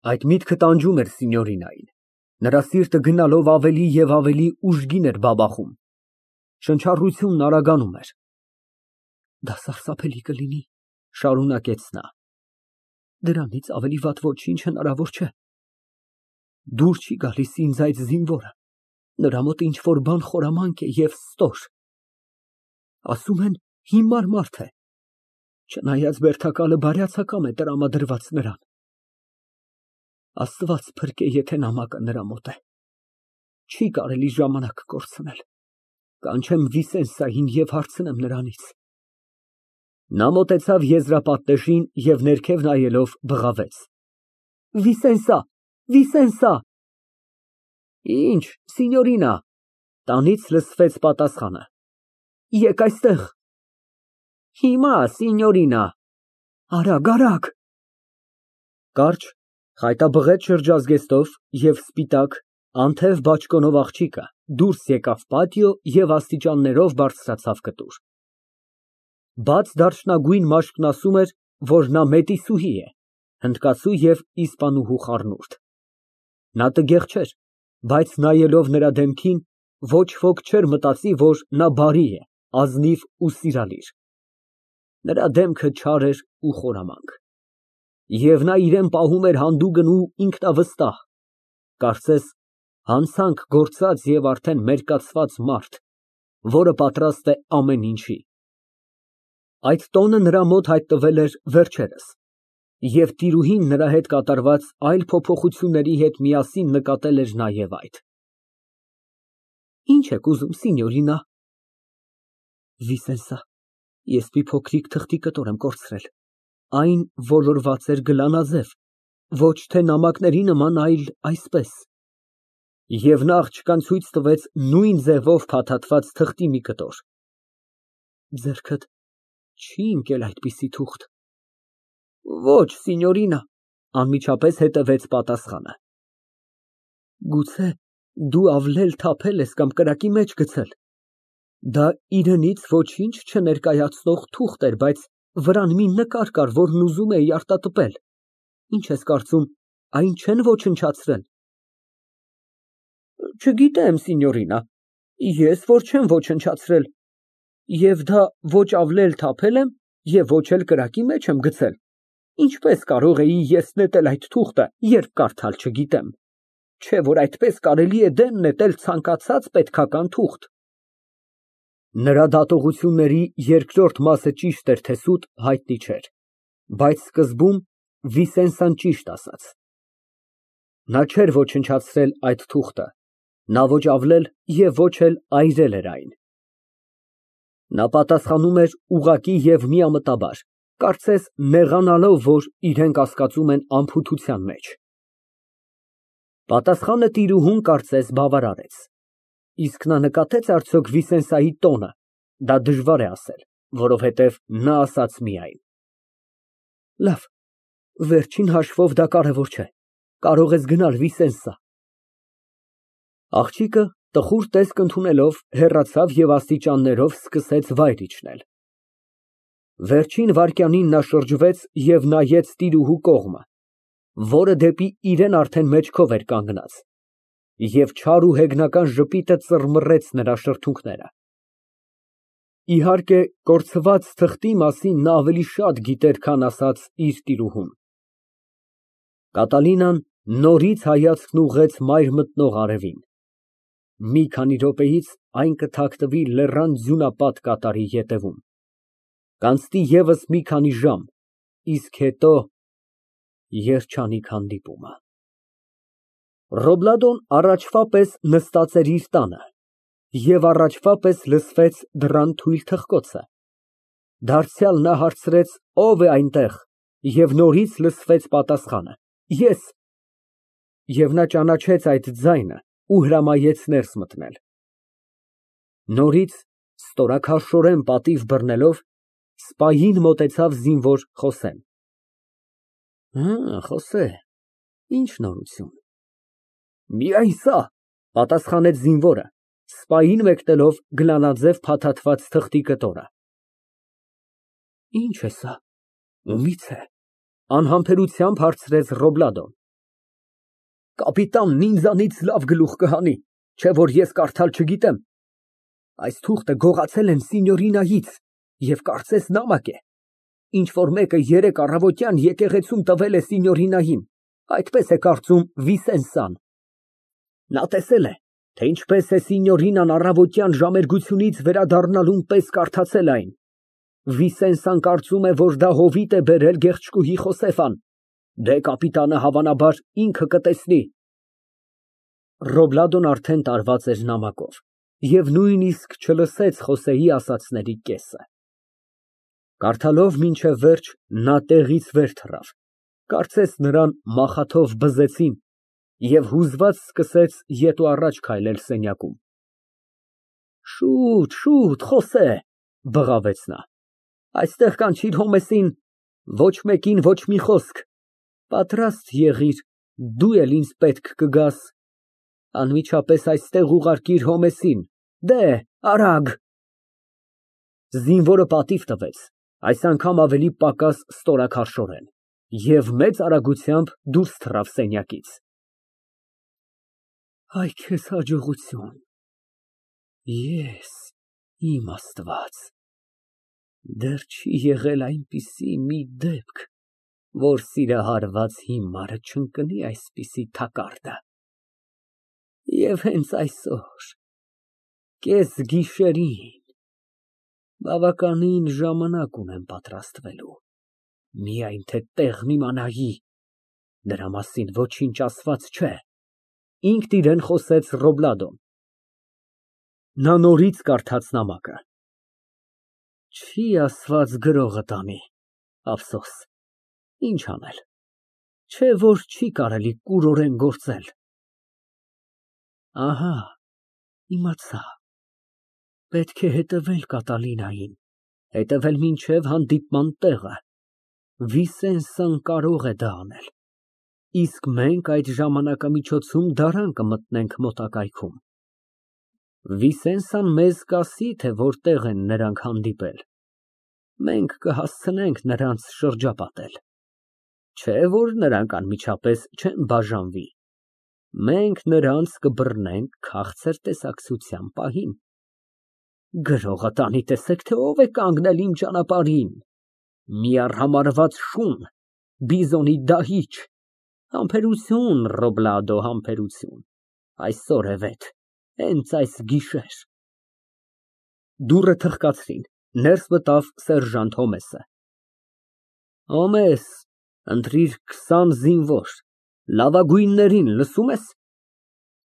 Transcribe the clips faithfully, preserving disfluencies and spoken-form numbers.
Այդ միտքը տանջում էր Սինյորինային, նրա սիրտը գնալով ավելի և ավելի ուժգին էր բաբախում, շնչառությունն արագանում էր։ Դա սարսափելի կլինի, շարունակեց նա, դրանից ավելի վատ ոչինչ հնարավոր չէ։ Դուր չի գալիս ինձ այդ զինվորը, նրա մոտ ինչ֊որ բան խորամանկ է և ստոր։ Ասում են հիմար մարդ է, չնայած բերդակալը բարյացակամ է տրամադրված նրան։ Աստված փրկե, եթե նամակը նրա մոտ է։ Չի կարելի ժամանակ կորցնել, կանչեմ Վիսենսային և հարցնեմ նրանից։ Նա մոտեցավ եզրապատնեշին և ներքև նայելով բղավեց. Վիսենսա, Վիսենսա։ Ինչ, Սինյորինա, տանից լսվեց պատասխանը. Եկ այստեղ։ Հիմա, Սինյորինա։ Արագ, արագ։ Կարճ, խայտաբղետ շրջազգեստով և սպիտակ, անթև բաճկոնով աղջիկը դուրս եկավ պատիո և աստիճաններով բարձրացավ կտուր։ Բաց դարչնագույն մաշկն ասում էր, որ նա մետիսուհի է, հնդկացու և իսպանուհու խառնուրդ։ Նա տգեղ չէր, բայց նայելով նրա դեմքին, ոչ ոք չէր մտածի, որ նա բարի է, ազնիվ ու սիրալիր։ Նրա դեմքը չար էր ու խորամանկ։ Եվ նա իրան պահում էր հանդուգն ու ինքնավստահ, կարծես հանցանք գործած և արդեն մերկացված մարդ, որը պատրաստ է ամեն ինչի։ Այդ տոնը նրա մոտ հայտնվել էր վերջերս, և տիրուհին նրա հետ կատարված այլ փոփոխությունների հետ միասին նկատել էր նաև այդ։ Ինչ եք ուզում, Սինյորինա։ Վիսենսա, ես մի փոքրիկ թղթի կտոր եմ կորցրել, այն ոլորված էր գլանաձև, ոչ թե նամակների նման, այլ այսպես։ Եվ նա աղջկան ցույց տվեց նույն ձևով փաթաթված թղթի մի կտոր։ Ձեռքդ չի ընկել այդպիսի թուղթ։ Ոչ, Սինյորինա, անմիջապես հետևեց պատասխանը։ Գուցե դու ավլել թափել ես կամ կրակի մեջ գցել։ Դա իրենից ոչինչ չներկայացնող թուղթ էր, բայց վրան մի նկար կար, որն ուզում էի արտատպել։ Ինչ ես կարծում, այն չեն ոչնչացրել։ Չգիտեմ, Սինյորինա, ես որ չեմ ոչնչացրել, և դա ոչ ավլել թափել եմ և ոչ էլ կրակի մեջ եմ գցել, ինչպես կարող էի ես նետել այդ թուղթը, երբ կարդալ չգիտեմ, չէ որ այդպես կարելի է դեն նետել ցանկացած պետքական թուղթ։ Նրա դատողությունների երկրորդ մասը ճիշտ էր, թե սուտ, հայտնի չէր, բայց սկզբում Վիսենսան ճիշտ ասաց։ Նա չէր ոչնչացրել այդ թուղթը, նա ոչ ավլել և ոչ էլ այրել էր այն։ Նա պատասխանում էր ուղղակի և միամտաբար, կարծես նեղանալով, որ իրեն կասկածում են անփութության մեջ։ Պատասխանը տիրուհուն կարծես բավարարեց։ Իսկ նա նկատեց արդյոք Վիսենսայի տոնը, դա դժվար է ասել, որովհետև նա ասաց միայն. Լավ, վերջին հաշվով դա կարևոր չէ, կարող ես գնալ, Վիսենսա։ Աղջիկը տխուր տեսք ընդունելով հեռացավ և աստիճաններով սկսեց վայր իջնել։ Վերջին վայրկյանին նա շրջվեց և նայեց տիրուհու կողմը, որը դեպի իրան արդեն մեջքով էր կանգնած, և չար ու հեգնական ժպիտը ծռմռեց նրա շրթունքները։ Իհարկե, կորցված թղթի մասին նա ավելի շատ գիտեր, քան ասաց իր տիրուհուն։ Կատալինան նորից հայացքն ուղղեց մայր մտնող արևին։ Մի քանի րոպեից այն կթաքնվի լեռան ձյունապատ կատարի ետևում, կանցնի ևս մի քանի ժամ, իսկ հետո երջանիկ հանդիպումը։ Ռոբլադոն առաջվա պես նստած էր իր տանը, և առաջվա պես լսվեց դռան թույլ թխկոցը։ Դարձյալ նա հարցրեց. ո՞վ է այնտեղ, և նորից լսվեց պատասխանը. Ես։ Եվ նա ճանաչեց այդ ձայնը ու հրամայեց ներս մտնել։ Նորից ստորաքարշորեն պատիվ բռնելով, սպային մոտեցավ զինվոր Խոսեն։ Հը, Խոսե, ի՞նչ նորություն։ Միայն սա, պատասխանեց զինվորը, սպային մեկնելով գլանաձև փաթաթված թղթի կտորը։ Ի՞նչ է սա, ումի՞ց է, անհամբերությամբ հարցրեց Ռոբլադոն։ Կապիտանն ինձանից լավ գլուխ կհանի, չէ որ ես կարդալ չգիտեմ։ Այս թուղթը գողացել են սինյորինայից և կարծես նամակ է, ինչ որ մեկը երեկ առավոտյան եկեղեցում տվել է սինյորինային, այդպես է կարծում Վիսենսան։ Նա տեսել է, թե ինչպես է սինյորինան առավոտյան ժամերգությունից վերադառնալուն պես կարդացել այն։ Վիսենսան կարծում է, որ դա հովիտ է բերել գեղեցկուհի Խոսեֆան, դե կապիտանը հավանաբար ինքը կտեսնի։ Ռոբլադոն արդեն տարված էր նամակով և նույնիսկ չլսեց Խոսեի ասածների կեսը։ Կարդալով մինչև վերջ, նա տեղից վեր թռավ, կարծես նրան մախաթով բզեցին, և հուզված սկսեց ետ ու առաջ քայլել սենյակում։ Շուտ, շուտ, Խոսե, բղավեց նա, այստեղ կանչիր Հոմեսին, ոչ մեկին ոչ մի խոսք, պատրաստ եղիր, դու էլ ինձ պետք կգաս, անմիջապես այստեղ ուղարկիր Հոմեսին, դե, արագ։ Զինվորը պատիվ տվեց, այս անգամ ավելի պակաս ստորաքարշորեն, և մեծ արագությամբ դուրս թռավ սենյակից։ Այ քեզ հաջողություն, ես, իմ Աստված, դեռ չի եղել այնպիսի մի դեպք, որ սիրահարված հիմարը չընկնի այսպիսի թակարդը։ Եվ հենց այսօր, կեսգիշերին, բավականին ժամանակ ունեմ պատրաստվելու, միայն թե տեղն իմանայի, դրա մասին ոչինչ ասված չէ, ինքն իրան խոսեց Ռոբլադոն։ Նա նորից կարդաց նամակը։ Չի ասված գրողը տանի, ափսոս, ինչ անել, չէ որ չի կարելի կուրորեն գործել։ Ահա, իմացա, պետք է հետևել Կատալինային, հետևել մինչև հանդիպման տեղը, Վիսենսան կարող է դա անել, իսկ մենք այդ ժամանակամիջոցում դարան կմտնենք մոտակայքում։ Վիսենսան մեզ կասի, թե որտեղ են նրանք հանդիպել, մենք կհասցնենք նրանց շրջապատել, չէ որ նրանք անմիջապես չեն բաժանվի, մենք նրանց կբռնենք քաղցր տեսակցության պահին։ Գրողը տանի, տեսեք, թե ով է կանգնել իմ ճանապարհին, մի արհամարհված շուն, բիզոնի դահիճ, համբերություն, Ռոբլադո, համբերություն, այսօր է վետ, հենց այս գիշեր։ Դուռը թխկացրին, ներս մտավ սերժանտ Հոմեսը։ Հոմես, ընտրիր քսան զինվոր, լավագույններին, լսո՞ւմ ես,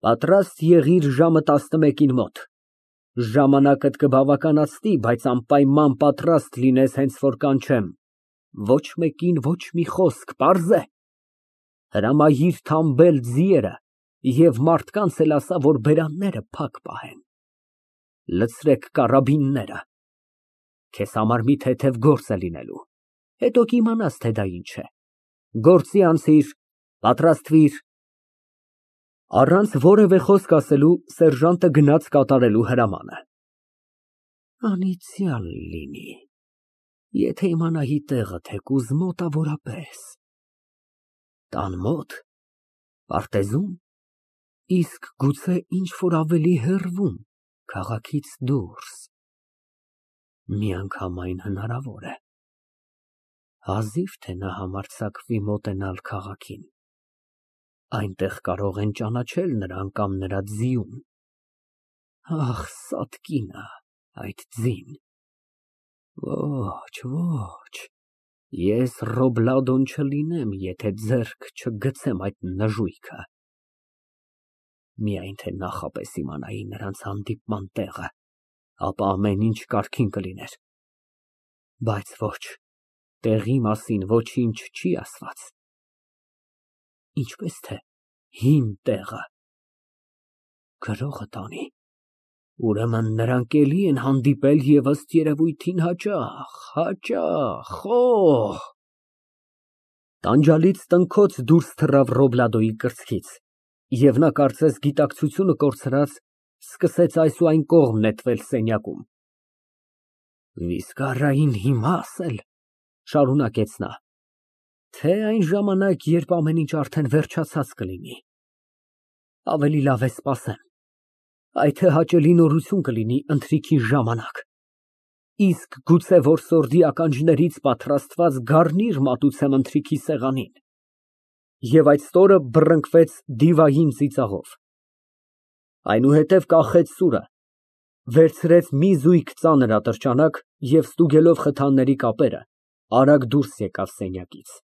պատրաստ եղիր ժամը տասնմեկին մոտ, ժամանակդ կբավականացնի, բայց անպայման պատրաստ լինես հենց որ կանչեմ, ոչ մեկին ոչ մի խոսք, պարզ է։ Հրամայիր թամբել ձիերը և մարդկանց էլ ասա, որ բերանները փակ պահեն, լցրեք կարաբինները, քեզ համար մի թեթև գործ է լինելու, հետո կիմանաս, թե դա ինչ է, գործի անցիր, պատրաստվիր։ Առանց որևէ խոսք ասելու, սերժանտը գնաց կատարելու հրամանը։ Անիծյալ լինի, եթե իմանայի տեղը թեկուզ մոտավորապես, տան մոտ, պարտեզում, իսկ գուցե ինչ-որ ավելի հեռվում, քաղաքից դուրս, միանգամայն հնարավոր է, հազիվ թե նա համարձակվի մոտենալ քաղաքին, այնտեղ կարող են ճանաչել նրան կամ նրա ձիուն, ախ, սատկինը, այդ ձին, ոչ, ոչ, ես Ռոբլադոն չլինեմ, եթե ձեռք չգցեմ այդ նժույգը, միայն թե նախապես իմանայի նրանց հանդիպման տեղը, ապա ամեն ինչ կարգին կլիներ, բայց ոչ, տեղի մասին ոչինչ չի ասված, ինչպես թե հին տեղը, գրողը տանի, ուրեմն նրանք էլի են հանդիպել և ըստ երևույթին հաճախ, հաճախ, օհ։ Տանջալից տնքոց դուրս թռավ Ռոբլադոյի կրծքից, և նա կարծես գիտակցությունը կորցրած, սկսեց այս ու այն կողմ նետվել սենյակում։ Վիզկարային հիմա ասել, շարունակեց նա, թե այն ժամանակ, երբ ամեն ինչ արդեն վերջացած կլինի, Ավելի լավ է սպասեմ, այդ թե հաճելի նորություն կլինի ընթրիքի ժամանակ, իսկ գուցե որ սորդի ականջներից պատրաստված գառնիր մատուցեմ ընթրիքի սեղանին։ Եվ այդ ստորը բռնկվեց դիվային ծիծաղով, այնուհետև կախեց սուրը, վերցրեց մի զույգ ծանր ատրճանակ և ստուգելով խթանների կապերը, արագ դուրս եկավ սենյակից։